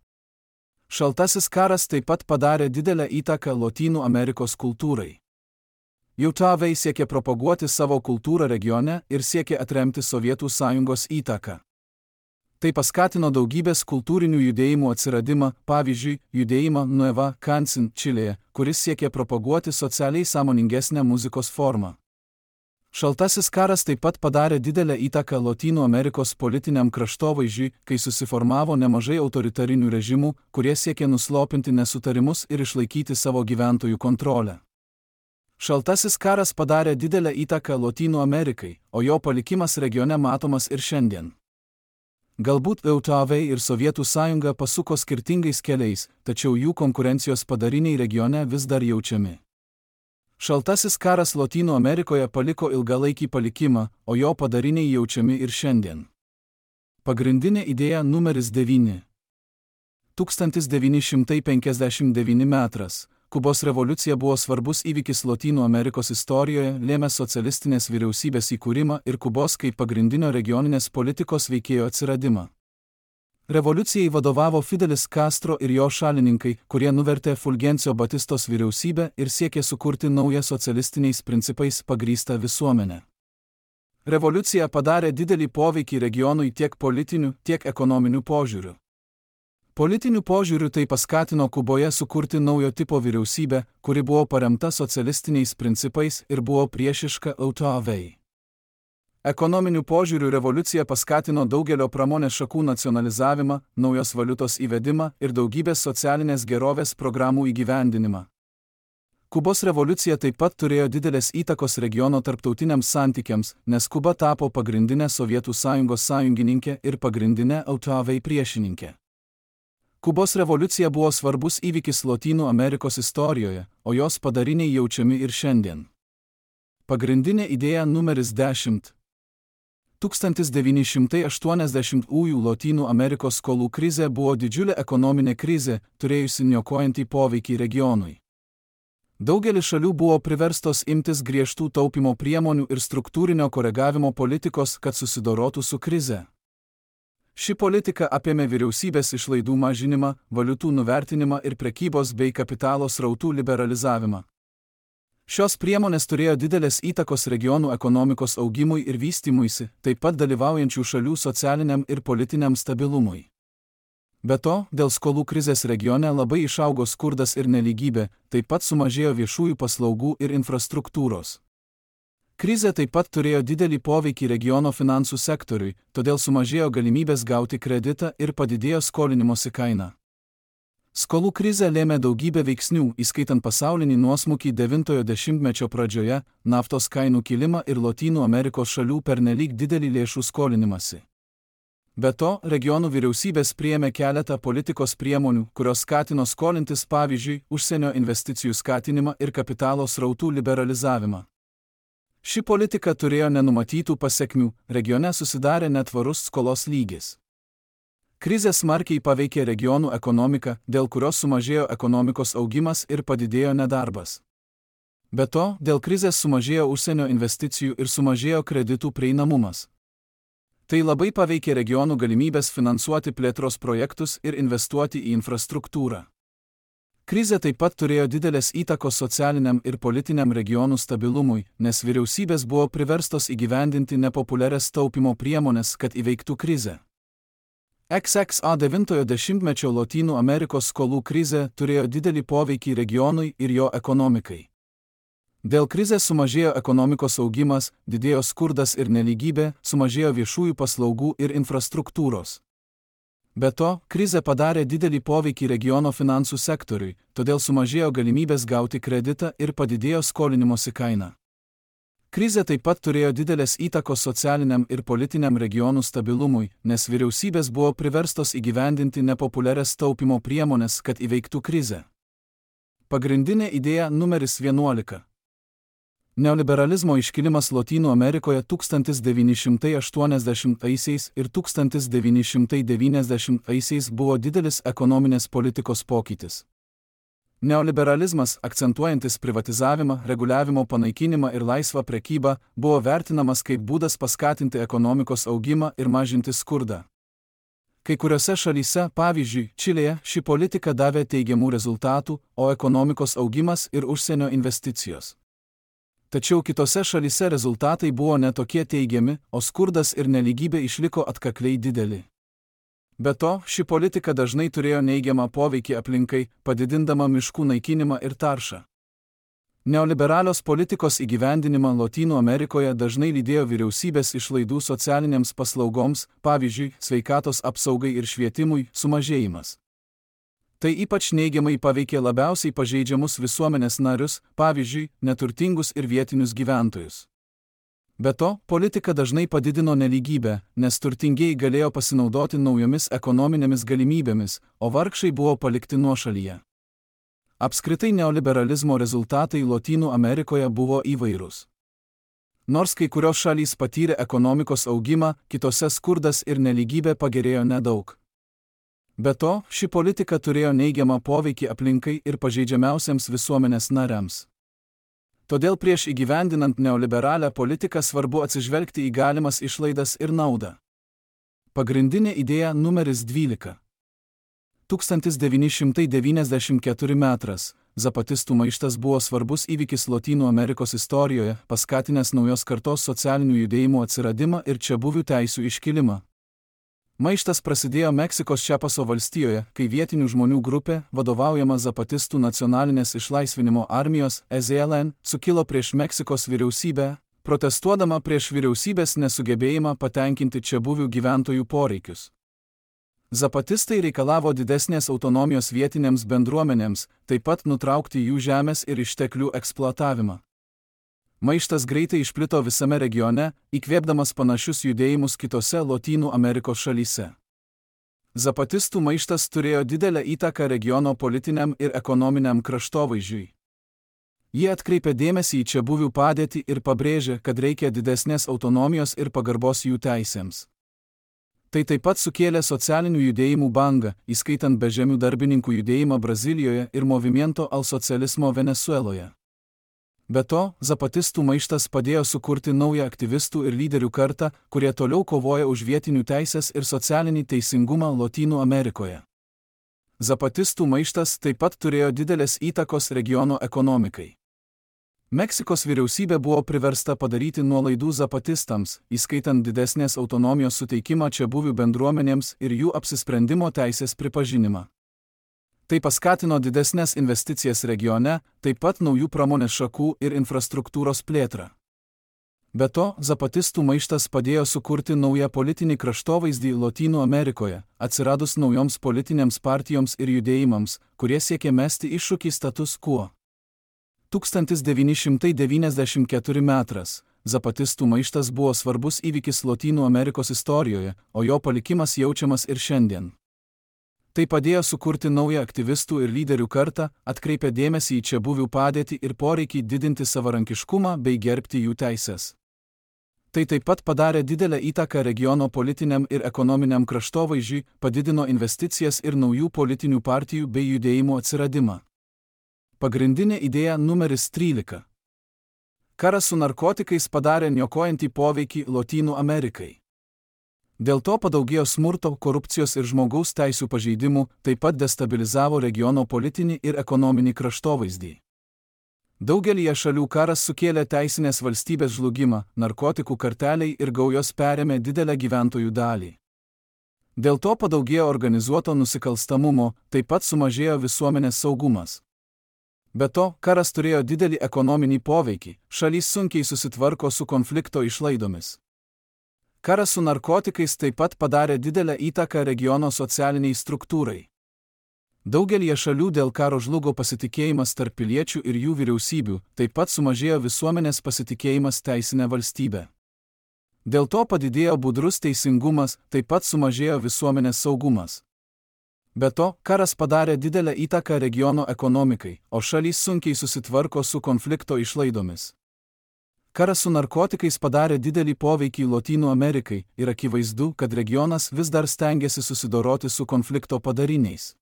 Šaltasis karas taip pat padarė didelę įtaką Lotynų Amerikos kultūrai. V T V siekė propaguoti savo kultūrą regione ir siekė atremti Sovietų sąjungos įtaką. Tai paskatino daugybės kultūrinių judėjimų atsiradimą, pavyzdžiui, judėjimą Nueva Canción Čilėje, kuris siekė propaguoti socialiai sąmoningesnę muzikos formą. Šaltasis karas taip pat padarė didelę įtaką Lotynų Amerikos politiniam kraštovaizdžiui, kai susiformavo nemažai autoritarinių režimų, kurie siekė nuslopinti nesutarimus ir išlaikyti savo gyventojų kontrolę. Šaltasis karas padarė didelę įtaką Lotynų Amerikai, o jo palikimas regione matomas ir šiandien. Galbūt E U T V ir Sovietų sąjunga pasuko skirtingais keliais, tačiau jų konkurencijos padariniai regione vis dar jaučiami. Šaltasis karas Lotynų Amerikoje paliko ilgalaikį palikimą, o jo padariniai jaučiami ir šiandien. Pagrindinė idėja numeris devyni. tūkstantis devyni šimtai penkiasdešimt devyni metras. Kubos revoliucija buvo svarbus įvykis Lotynų Amerikos istorijoje, lėmęs socialistinės vyriausybės įkūrimą ir Kubos kaip pagrindinio regioninės politikos veikėjo atsiradimą. Revoliucijai vadovavo Fidelis Castro ir jo šalininkai, kurie nuvertė Fulgencio Batistos vyriausybę ir siekė sukurti naują socialistiniais principais pagrįstą visuomenę. Revoliucija padarė didelį poveikį regionui tiek politiniu, tiek ekonominiu požiūriu. Politiniu požiūriu tai paskatino Kuboje sukurti naujo tipo vyriausybę, kuri buvo paremta socialistiniais principais ir buvo priešiška E U T V. Ekonominiu požiūriu revoliucija paskatino daugelio pramonės šakų nacionalizavimą, naujos valiutos įvedimą ir daugybės socialinės gerovės programų įgyvendinimą. Kubos revoliucija taip pat turėjo didelės įtakos regiono tarptautiniams santykiams, nes Kuba tapo pagrindinė Sovietų sąjungos sąjungininkė ir pagrindinė E U T V priešininkė. Kubos revoliucija buvo svarbus įvykis Lotynų Amerikos istorijoje, o jos padariniai jaučiami ir šiandien. Pagrindinė idėja numeris dešimt. tūkstantis devyni šimtai aštuoniasdešimtųjų Lotynų Amerikos skolų krizė buvo didžiulė ekonominė krizė, turėjusi niokojantį poveikį regionui. Daugelis šalių buvo priverstos imtis griežtų taupimo priemonių ir struktūrinio koregavimo politikos, kad susidorotų su krize. Ši politika apėmė vyriausybės išlaidų mažinimą, valiutų nuvertinimą ir prekybos bei kapitalo srautų liberalizavimą. Šios priemonės turėjo didelės įtakos regionų ekonomikos augimui ir vystymuisi, taip pat dalyvaujančių šalių socialiniam ir politiniam stabilumui. Be to, dėl skolų krizės regione labai išaugo skurdas ir nelygybė, taip pat sumažėjo viešųjų paslaugų ir infrastruktūros. Krizė taip pat turėjo didelį poveikį regiono finansų sektoriui, todėl sumažėjo galimybės gauti kreditą ir padidėjo skolinimosi kaina. Skolų krizė lėmė daugybę veiksnių, įskaitant pasaulinį nuosmukį devintojo dešimtmečio pradžioje, naftos kainų kilimą ir Lotynų Amerikos šalių pernelyg didelį lėšų skolinimąsi. Be to, regionų vyriausybės priėmė keletą politikos priemonių, kurios skatino skolintis, pavyzdžiui, užsienio investicijų skatinimą ir kapitalo srautų liberalizavimą. Ši politika turėjo nenumatytų pasekmių, regione susidarė netvarus skolos lygis. Krizė smarkiai paveikė regionų ekonomiką, dėl kurios sumažėjo ekonomikos augimas ir padidėjo nedarbas. Be to, dėl krizės sumažėjo užsienio investicijų ir sumažėjo kreditų prieinamumas. Tai labai paveikė regionų galimybės finansuoti plėtros projektus ir investuoti į infrastruktūrą. Krizė taip pat turėjo didelės įtakos socialiniam ir politiniam regionų stabilumui, nes vyriausybės buvo priverstos įgyvendinti nepopuliarias taupimo priemonės, kad įveiktų krizę. X X A devintojo dešimtmečio Lotynų Amerikos skolų krizė turėjo didelį poveikį regionui ir jo ekonomikai. Dėl krizės sumažėjo ekonomikos augimas, didėjo skurdas ir nelygybė, sumažėjo viešųjų paslaugų ir infrastruktūros. Be to, krizė padarė didelį poveikį regiono finansų sektoriui, todėl sumažėjo galimybės gauti kreditą ir padidėjo skolinimosi kaina. Krizė taip pat turėjo didelės įtakos socialiniam ir politiniam regionų stabilumui, nes vyriausybės buvo priverstos įgyvendinti nepopuliarias taupimo priemonės, kad įveiktų krizę. Pagrindinė idėja numeris vienuolika. Neoliberalizmo iškilimas Lotynų Amerikoje tūkstantis devyni šimtai aštuoniasdešimtaisiais ir tūkstantis devyni šimtai devyniasdešimtaisiais buvo didelis ekonominės politikos pokytis. Neoliberalizmas, akcentuojantis privatizavimą, reguliavimo panaikinimą ir laisvą prekybą, buvo vertinamas kaip būdas paskatinti ekonomikos augimą ir mažinti skurdą. Kai kuriuose šalyse, pavyzdžiui, Čilėje, ši politika davė teigiamų rezultatų, o ekonomikos augimas ir užsienio investicijos. Tačiau kitose šalyse rezultatai buvo netokie teigiami, o skurdas ir nelygybė išliko atkakliai dideli. Be to, ši politika dažnai turėjo neigiamą poveikį aplinkai, padidindama miškų naikinimą ir taršą. Neoliberalios politikos įgyvendinimą Lotynų Amerikoje dažnai lydėjo vyriausybės išlaidų socialinėms paslaugoms, pavyzdžiui, sveikatos apsaugai ir švietimui, sumažėjimas. Tai ypač neigiamai paveikė labiausiai pažeidžiamus visuomenės narius, pavyzdžiui, neturtingus ir vietinius gyventojus. Be to, politika dažnai padidino nelygybę, nes turtingieji galėjo pasinaudoti naujomis ekonominėmis galimybėmis, o vargšai buvo palikti nuošalyje. Apskritai neoliberalizmo rezultatai Lotynų Amerikoje buvo įvairūs. Nors kai kurios šalys patyrė ekonomikos augimą, kitose skurdas ir nelygybė pagerėjo nedaug. Be to, ši politika turėjo neigiamą poveikį aplinkai ir pažeidžiamiausiams visuomenės nariams. Todėl prieš įgyvendinant neoliberalią politiką svarbu atsižvelgti į galimas išlaidas ir naudą. Pagrindinė idėja numeris dvylika. tūkstantis devyni šimtai devyniasdešimt keturi metras. Zapatistų maištas buvo svarbus įvykis Lotynų Amerikos istorijoje, paskatinęs naujos kartos socialinių judėjimų atsiradimą ir čiabuvių teisių iškilimą. Maištas prasidėjo Meksikos Čiapaso valstijoje, kai vietinių žmonių grupė, vadovaujama Zapatistų nacionalinės išlaisvinimo armijos E Z L N, sukilo prieš Meksikos vyriausybę, protestuodama prieš vyriausybės nesugebėjimą patenkinti čiabuvių gyventojų poreikius. Zapatistai reikalavo didesnės autonomijos vietinėms bendruomenėms, taip pat nutraukti jų žemės ir išteklių eksploatavimą. Maištas greitai išplito visame regione, įkvėpdamas panašius judėjimus kitose Lotynų Amerikos šalyse. Zapatistų maištas turėjo didelę įtaką regiono politiniam ir ekonominiam kraštovaizdžiui. Jie atkreipė dėmesį į čiabuvių padėtį ir pabrėžė, kad reikia didesnės autonomijos ir pagarbos jų teisėms. Tai taip pat sukėlė socialinių judėjimų bangą, įskaitant bežemių darbininkų judėjimą Brazilijoje ir Movimiento al Socialismo Venesueloje. Be to, zapatistų maištas padėjo sukurti naują aktyvistų ir lyderių kartą, kurie toliau kovoja už vietinių teisės ir socialinį teisingumą Lotynų Amerikoje. Zapatistų maištas taip pat turėjo didelės įtakos regiono ekonomikai. Meksikos vyriausybė buvo priversta padaryti nuolaidų zapatistams, įskaitant didesnės autonomijos suteikimą čiabuvių bendruomenėms ir jų apsisprendimo teisės pripažinimą. Tai paskatino didesnės investicijas regione, taip pat naujų pramonės šakų ir infrastruktūros plėtrą. Be to, zapatistų maištas padėjo sukurti naują politinį kraštovaizdį Lotynų Amerikoje, atsiradus naujoms politinėms partijoms ir judėjimams, kurie siekė mesti iššūkį status quo. tūkstantis devyni šimtai devyniasdešimt keturi metras. Zapatistų maištas buvo svarbus įvykis Lotynų Amerikos istorijoje, o jo palikimas jaučiamas ir šiandien. Tai padėjo sukurti naują aktyvistų ir lyderių kartą, atkreipė dėmesį į čiabuvių padėtį ir poreikį didinti savarankiškumą bei gerbti jų teisės. Tai taip pat padarė didelę įtaką regiono politiniam ir ekonominiam kraštovaizdžiui, padidino investicijas ir naujų politinių partijų bei judėjimų atsiradimą. Pagrindinė idėja numeris trylika. Karas su narkotikais padarė niokojantį poveikį Lotynų Amerikai. Dėl to padaugėjo smurto, korupcijos ir žmogaus teisių pažeidimų, taip pat destabilizavo regiono politinį ir ekonominį kraštovaizdį. Daugelyje šalių karas sukėlė teisinės valstybės žlugimą, narkotikų karteliai ir gaujos perėmė didelę gyventojų dalį. Dėl to padaugėjo organizuoto nusikalstamumo, taip pat sumažėjo visuomenės saugumas. Be to, karas turėjo didelį ekonominį poveikį, šalys sunkiai susitvarko su konflikto išlaidomis. Karas su narkotikais taip pat padarė didelę įtaką regiono socialiniai struktūrai. Daugelyje šalių dėl karo žlugo pasitikėjimas tarp piliečių ir jų vyriausybių, taip pat sumažėjo visuomenės pasitikėjimas teisinė valstybė. Dėl to padidėjo budrus teisingumas, taip pat sumažėjo visuomenės saugumas. Be to, karas padarė didelę įtaką regiono ekonomikai, o šalys sunkiai susitvarko su konflikto išlaidomis. Karas su narkotikais padarė didelį poveikį Lotynų Amerikai ir akivaizdu, kad regionas vis dar stengiasi susidoroti su konflikto padariniais.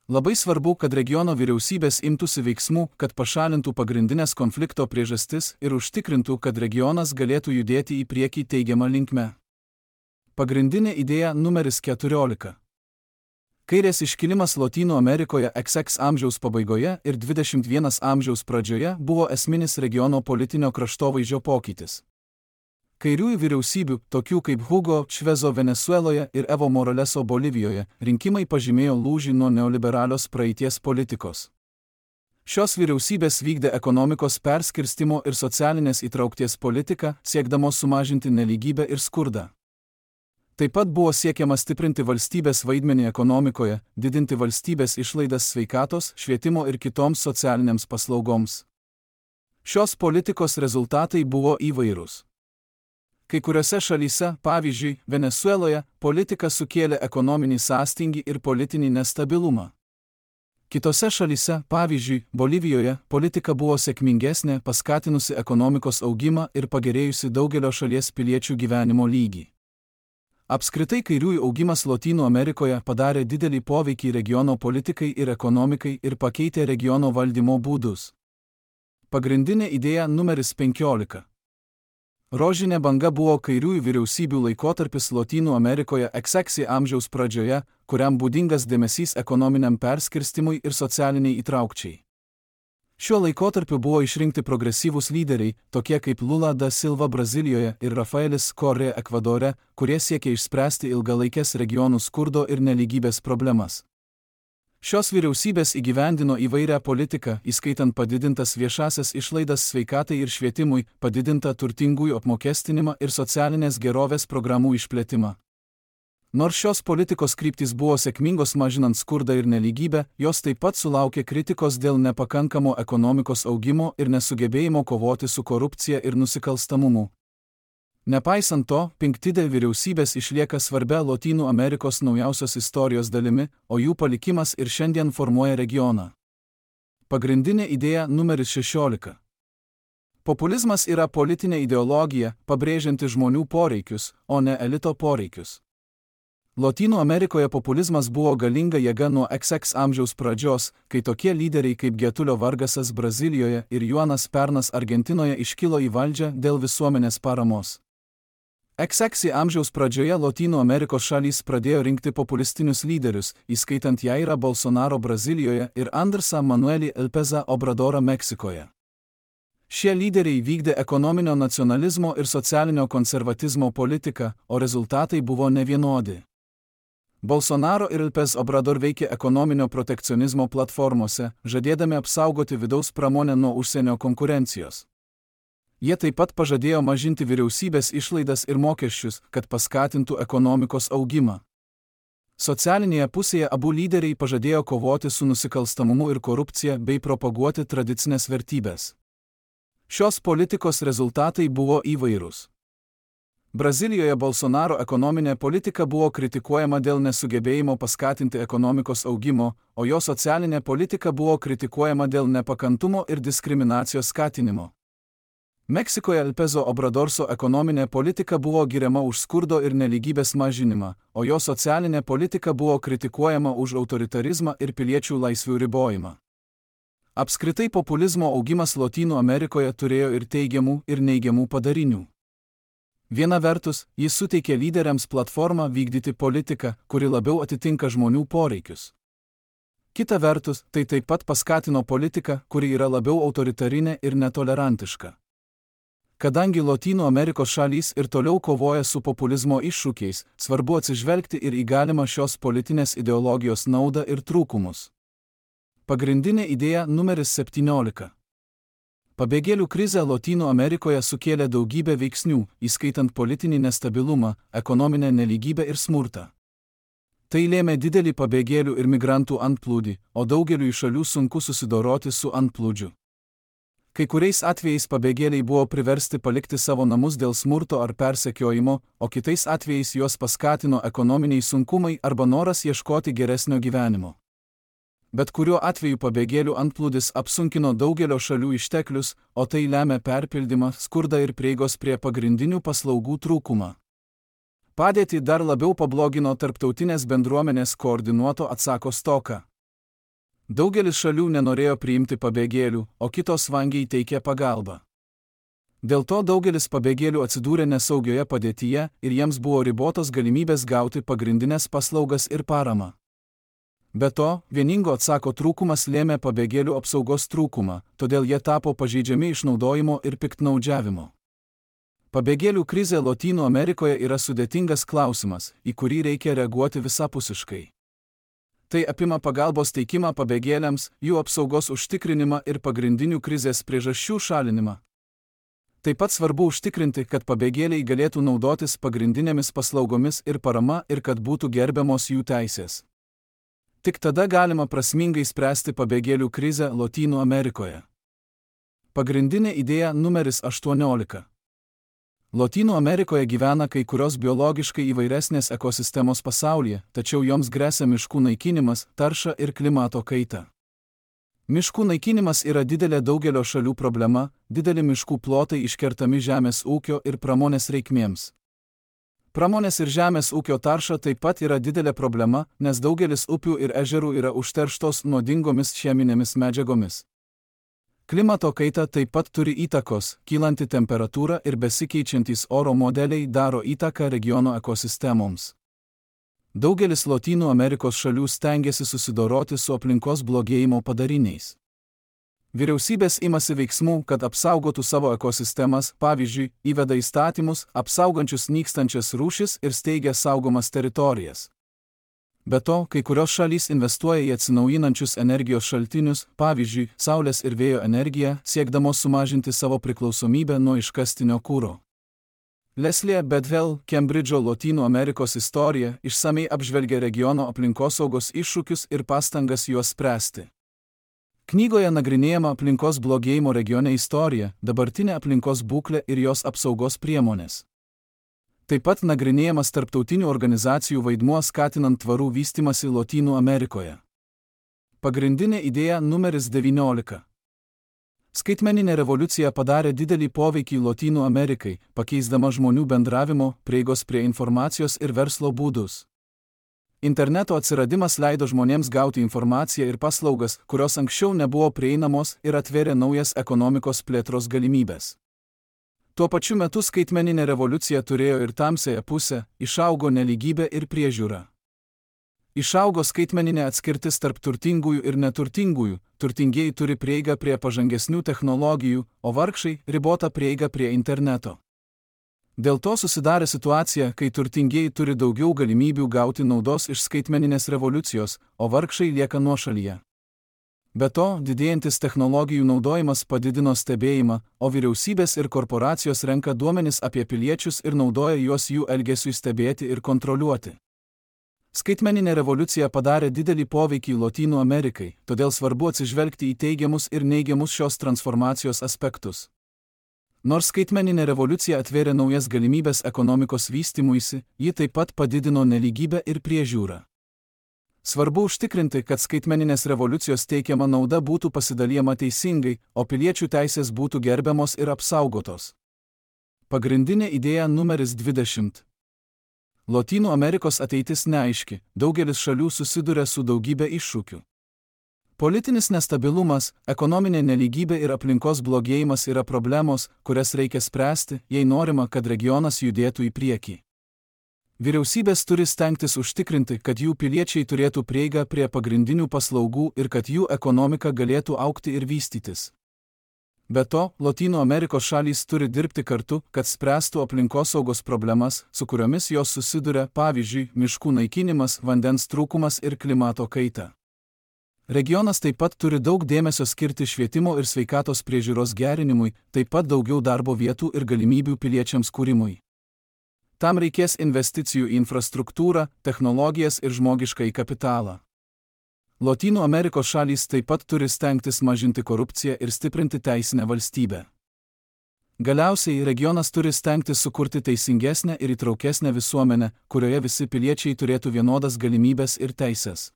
Labai svarbu, kad regiono vyriausybės imtųsi veiksmų, kad pašalintų pagrindinės konflikto priežastis ir užtikrintų, kad regionas galėtų judėti į priekį teigiamą linkme. Pagrindinė idėja numeris keturiolika. Kairės iškilimas Lotynų Amerikoje X X amžiaus pabaigoje ir dvidešimt pirmo amžiaus pradžioje buvo esminis regiono politinio kraštovaizdžio pokytis. Kairiųjų vyriausybių, tokių kaip Hugo Čvezo Venesueloje ir Evo Moraleso Bolivijoje, rinkimai pažymėjo lūžį nuo neoliberalios praeities politikos. Šios vyriausybės vykdė ekonomikos perskirstimo ir socialinės įtraukties politiką, siekdamos sumažinti nelygybę ir skurdą. Taip pat buvo siekiama stiprinti valstybės vaidmenį ekonomikoje, didinti valstybės išlaidas sveikatos, švietimo ir kitoms socialinėms paslaugoms. Šios politikos rezultatai buvo įvairūs. Kai kuriuose šalyse, pavyzdžiui, Venesueloje, politika sukėlė ekonominį sąstingį ir politinį nestabilumą. Kitose šalyse, pavyzdžiui, Bolivijoje, politika buvo sėkmingesnė, paskatinusi ekonomikos augimą ir pagerėjusi daugelio šalies piliečių gyvenimo lygį. Apskritai kairiųjų augimas Lotynų Amerikoje padarė didelį poveikį regiono politikai ir ekonomikai ir pakeitė regiono valdymo būdus. Pagrindinė idėja numeris penkiolika. Rožinė banga buvo kairiųjų vyriausybių laikotarpis Lotynų Amerikoje X X amžiaus pradžioje, kuriam būdingas dėmesys ekonominiam perskirstimui ir socialiniai įtraukčiai. Šiuo laikotarpiu buvo išrinkti progresyvūs lyderiai, tokie kaip Lula da Silva Brazilijoje ir Rafaelis Correa Ekvadore, kurie siekė išspręsti ilgalaikės regionų skurdo ir nelygybės problemas. Šios vyriausybės įgyvendino įvairią politiką, įskaitant padidintas viešasias išlaidas sveikatai ir švietimui, padidintą turtingųjų apmokestinimą ir socialinės gerovės programų išplėtimą. Nors šios politikos kryptys buvo sėkmingos mažinant skurdą ir nelygybę, jos taip pat sulaukė kritikos dėl nepakankamo ekonomikos augimo ir nesugebėjimo kovoti su korupcija ir nusikalstamumu. Nepaisant to, Pinktidė vyriausybės išlieka svarbia Lotynų Amerikos naujausios istorijos dalimi, o jų palikimas ir šiandien formuoja regioną. Pagrindinė idėja numeris šešiolika. Populizmas yra politinė ideologija, pabrėžianti žmonių poreikius, o ne elito poreikius. Lotynų Amerikoje populizmas buvo galinga jėga nuo X X amžiaus pradžios, kai tokie lyderiai kaip Getulio Vargasas Brazilijoje ir Juanas Pernas Argentinoje iškilo į valdžią dėl visuomenės paramos. X X amžiaus pradžioje Lotynų Amerikos šalys pradėjo rinkti populistinius lyderius, įskaitant Jairą Bolsonaro Brazilijoje ir Andresą Manuelį Lópezą Obradorą Meksikoje. Šie lyderiai vykdė ekonominio nacionalizmo ir socialinio konservatizmo politiką, o rezultatai buvo nevienodi. Bolsonaro ir López Obrador veikė ekonominio protekcionizmo platformose, žadėdami apsaugoti vidaus pramonę nuo užsienio konkurencijos. Jie taip pat pažadėjo mažinti vyriausybės išlaidas ir mokesčius, kad paskatintų ekonomikos augimą. Socialinėje pusėje abu lyderiai pažadėjo kovoti su nusikalstamumu ir korupcija bei propaguoti tradicinės vertybės. Šios politikos rezultatai buvo įvairūs. Brazilijoje Bolsonaro ekonominė politika buvo kritikuojama dėl nesugebėjimo paskatinti ekonomikos augimo, o jo socialinė politika buvo kritikuojama dėl nepakantumo ir diskriminacijos skatinimo. Meksikoje Lópezo Obradorso ekonominė politika buvo giriama už skurdo ir nelygybės mažinimą, o jo socialinė politika buvo kritikuojama už autoritarizmą ir piliečių laisvių ribojimą. Apskritai populizmo augimas Lotynų Amerikoje turėjo ir teigiamų, ir neigiamų padarinių. Viena vertus, jis suteikė lyderiams platformą vykdyti politiką, kuri labiau atitinka žmonių poreikius. Kita vertus, tai taip pat paskatino politiką, kuri yra labiau autoritarinė ir netolerantiška. Kadangi Lotynų Amerikos šalys ir toliau kovoja su populizmo iššūkiais, svarbu atsižvelgti ir į galimą šios politinės ideologijos naudą ir trūkumus. Pagrindinė idėja numeris septyniolika. Pabėgėlių krizė Lotynų Amerikoje sukėlė daugybę veiksnių, įskaitant politinį nestabilumą, ekonominę nelygybę ir smurtą. Tai lėmė didelį pabėgėlių ir migrantų antplūdį, o daugeliui šalių sunku susidoroti su antplūdžiu. Kai kuriais atvejais pabėgėliai buvo priversti palikti savo namus dėl smurto ar persekiojimo, o kitais atvejais juos paskatino ekonominiai sunkumai arba noras ieškoti geresnio gyvenimo. Bet kuriuo atveju pabėgėlių antplūdis apsunkino daugelio šalių išteklius, o tai lemia perpildymą, skurdą ir prieigos prie pagrindinių paslaugų trūkumą. Padėtį dar labiau pablogino tarptautinės bendruomenės koordinuoto atsako stoka. Daugelis šalių nenorėjo priimti pabėgėlių, o kitos vangiai teikė pagalbą. Dėl to daugelis pabėgėlių atsidūrė nesaugioje padėtyje ir jiems buvo ribotos galimybės gauti pagrindinės paslaugas ir paramą. Be to, vieningo atsako trūkumas lėmė pabėgėlių apsaugos trūkumą, todėl jie tapo pažeidžiami išnaudojimo ir piktnaudžiavimo. Pabėgėlių krizė Lotynų Amerikoje yra sudėtingas klausimas, į kurį reikia reaguoti visapusiškai. Tai apima pagalbos teikimą pabėgėliams, jų apsaugos užtikrinimą ir pagrindinių krizės priežasčių šalinimą. Taip pat svarbu užtikrinti, kad pabėgėliai galėtų naudotis pagrindinėmis paslaugomis ir parama ir kad būtų gerbiamos jų teisės. Tik tada galima prasmingai spręsti pabėgėlių krizę Lotynų Amerikoje. Pagrindinė idėja numeris aštuoniolika. Lotynų Amerikoje gyvena kai kurios biologiškai įvairesnės ekosistemos pasaulyje, tačiau joms gresia miškų naikinimas, tarša ir klimato kaita. Miškų naikinimas yra didelė daugelio šalių problema, dideli miškų plotai iškertami žemės ūkio ir pramonės reikmėms. Pramonės ir žemės ūkio tarša taip pat yra didelė problema, nes daugelis upių ir ežerų yra užterštos nuodingomis cheminėmis medžiagomis. Klimato kaita taip pat turi įtakos, kylanti temperatūra ir besikeičiantys oro modeliai daro įtaką regiono ekosistemoms. Daugelis Lotynų Amerikos šalių stengiasi susidoroti su aplinkos blogėjimo padariniais. Vyriausybės imasi veiksmų, kad apsaugotų savo ekosistemas, pavyzdžiui, įveda įstatymus, apsaugančius nykstančias rūšis ir steigia saugomas teritorijas. Be to, kai kurios šalys investuoja į atsinaujinančius energijos šaltinius, pavyzdžiui, saulės ir vėjo energiją, siekdamos sumažinti savo priklausomybę nuo iškastinio kuro. Leslie Bedwell, Kembridžo Lotynų Amerikos istorija, išsamei apžvelgia regiono aplinkosaugos iššūkius ir pastangas juos spręsti. Knygoje nagrinėjama aplinkos blogėjimo regione istorija, dabartinė aplinkos būklė ir jos apsaugos priemonės. Taip pat nagrinėjamas tarptautinių organizacijų vaidmuo skatinant tvarų vystymąsi Lotynų Amerikoje. Pagrindinė idėja numeris devyniolika. Skaitmeninė revoliucija padarė didelį poveikį Lotynų Amerikai, pakeisdama žmonių bendravimo, prieigos prie informacijos ir verslo būdus. Interneto atsiradimas leido žmonėms gauti informaciją ir paslaugas, kurios anksčiau nebuvo prieinamos ir atvėrė naujas ekonomikos plėtros galimybės. Tuo pačiu metu skaitmeninė revoliucija turėjo ir tamsiąją pusę, išaugo nelygybė ir priežiūra. Išaugo skaitmeninė atskirtis tarp turtingųjų ir neturtingųjų, turtingieji turi prieigą prie pažangesnių technologijų, o vargšai ribotą prieigą prie interneto. Dėl to susidarė situacija, kai turtingieji turi daugiau galimybių gauti naudos iš skaitmeninės revoliucijos, o vargšai lieka nuošalyje. Be to, didėjantis technologijų naudojimas padidino stebėjimą, o vyriausybės ir korporacijos renka duomenis apie piliečius ir naudoja juos jų elgesiui stebėti ir kontroliuoti. Skaitmeninė revoliucija padarė didelį poveikį Lotynų Amerikai, todėl svarbu atsižvelgti į teigiamus ir neigiamus šios transformacijos aspektus. Nors skaitmeninė revoliucija atvėrė naujas galimybės ekonomikos vystymuisi, ji taip pat padidino nelygybę ir priežiūrą. Svarbu užtikrinti, kad skaitmeninės revoliucijos teikiama nauda būtų pasidalijama teisingai, o piliečių teisės būtų gerbiamos ir apsaugotos. Pagrindinė idėja numeris dvidešimt. Lotynų Amerikos ateitis neaiški, daugelis šalių susiduria su daugybė iššūkių. Politinis nestabilumas, ekonominė nelygybė ir aplinkos blogėjimas yra problemos, kurias reikia spręsti, jei norima, kad regionas judėtų į priekį. Vyriausybės turi stengtis užtikrinti, kad jų piliečiai turėtų prieigą prie pagrindinių paslaugų ir kad jų ekonomika galėtų augti ir vystytis. Be to, Lotynų Amerikos šalys turi dirbti kartu, kad spręstų aplinkosaugos problemas, su kuriomis jos susiduria, pavyzdžiui, miškų naikinimas, vandens trūkumas ir klimato kaita. Regionas taip pat turi daug dėmesio skirti švietimo ir sveikatos priežiūros gerinimui, taip pat daugiau darbo vietų ir galimybių piliečiams kūrimui. Tam reikės investicijų į infrastruktūrą, technologijas ir žmogiškąjį kapitalą. Lotynų Amerikos šalys taip pat turi stengtis mažinti korupciją ir stiprinti teisinę valstybę. Galiausiai regionas turi stengtis sukurti teisingesnę ir įtraukesnę visuomenę, kurioje visi piliečiai turėtų vienodas galimybės ir teisės.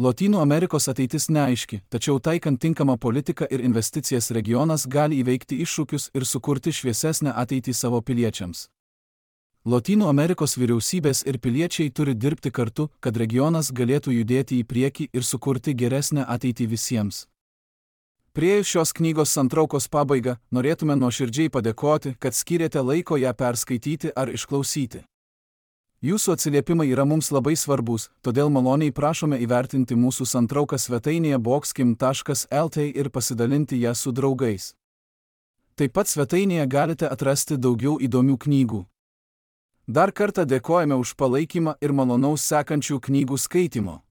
Lotynų Amerikos ateitis neaiški, tačiau taikant tinkamą politiką ir investicijas regionas gali įveikti iššūkius ir sukurti šviesesnę ateitį savo piliečiams. Lotynų Amerikos vyriausybės ir piliečiai turi dirbti kartu, kad regionas galėtų judėti į priekį ir sukurti geresnę ateitį visiems. Priėjus šios knygos santraukos pabaigą, norėtume nuoširdžiai padėkoti, kad skyrėte laiko ją perskaityti ar išklausyti. Jūsų atsiliepimai yra mums labai svarbus, todėl maloniai prašome įvertinti mūsų santrauką svetainėje boxkim taškas lt ir pasidalinti ją su draugais. Taip pat svetainėje galite atrasti daugiau įdomių knygų. Dar kartą dėkojame už palaikymą ir malonaus sekančių knygų skaitimo.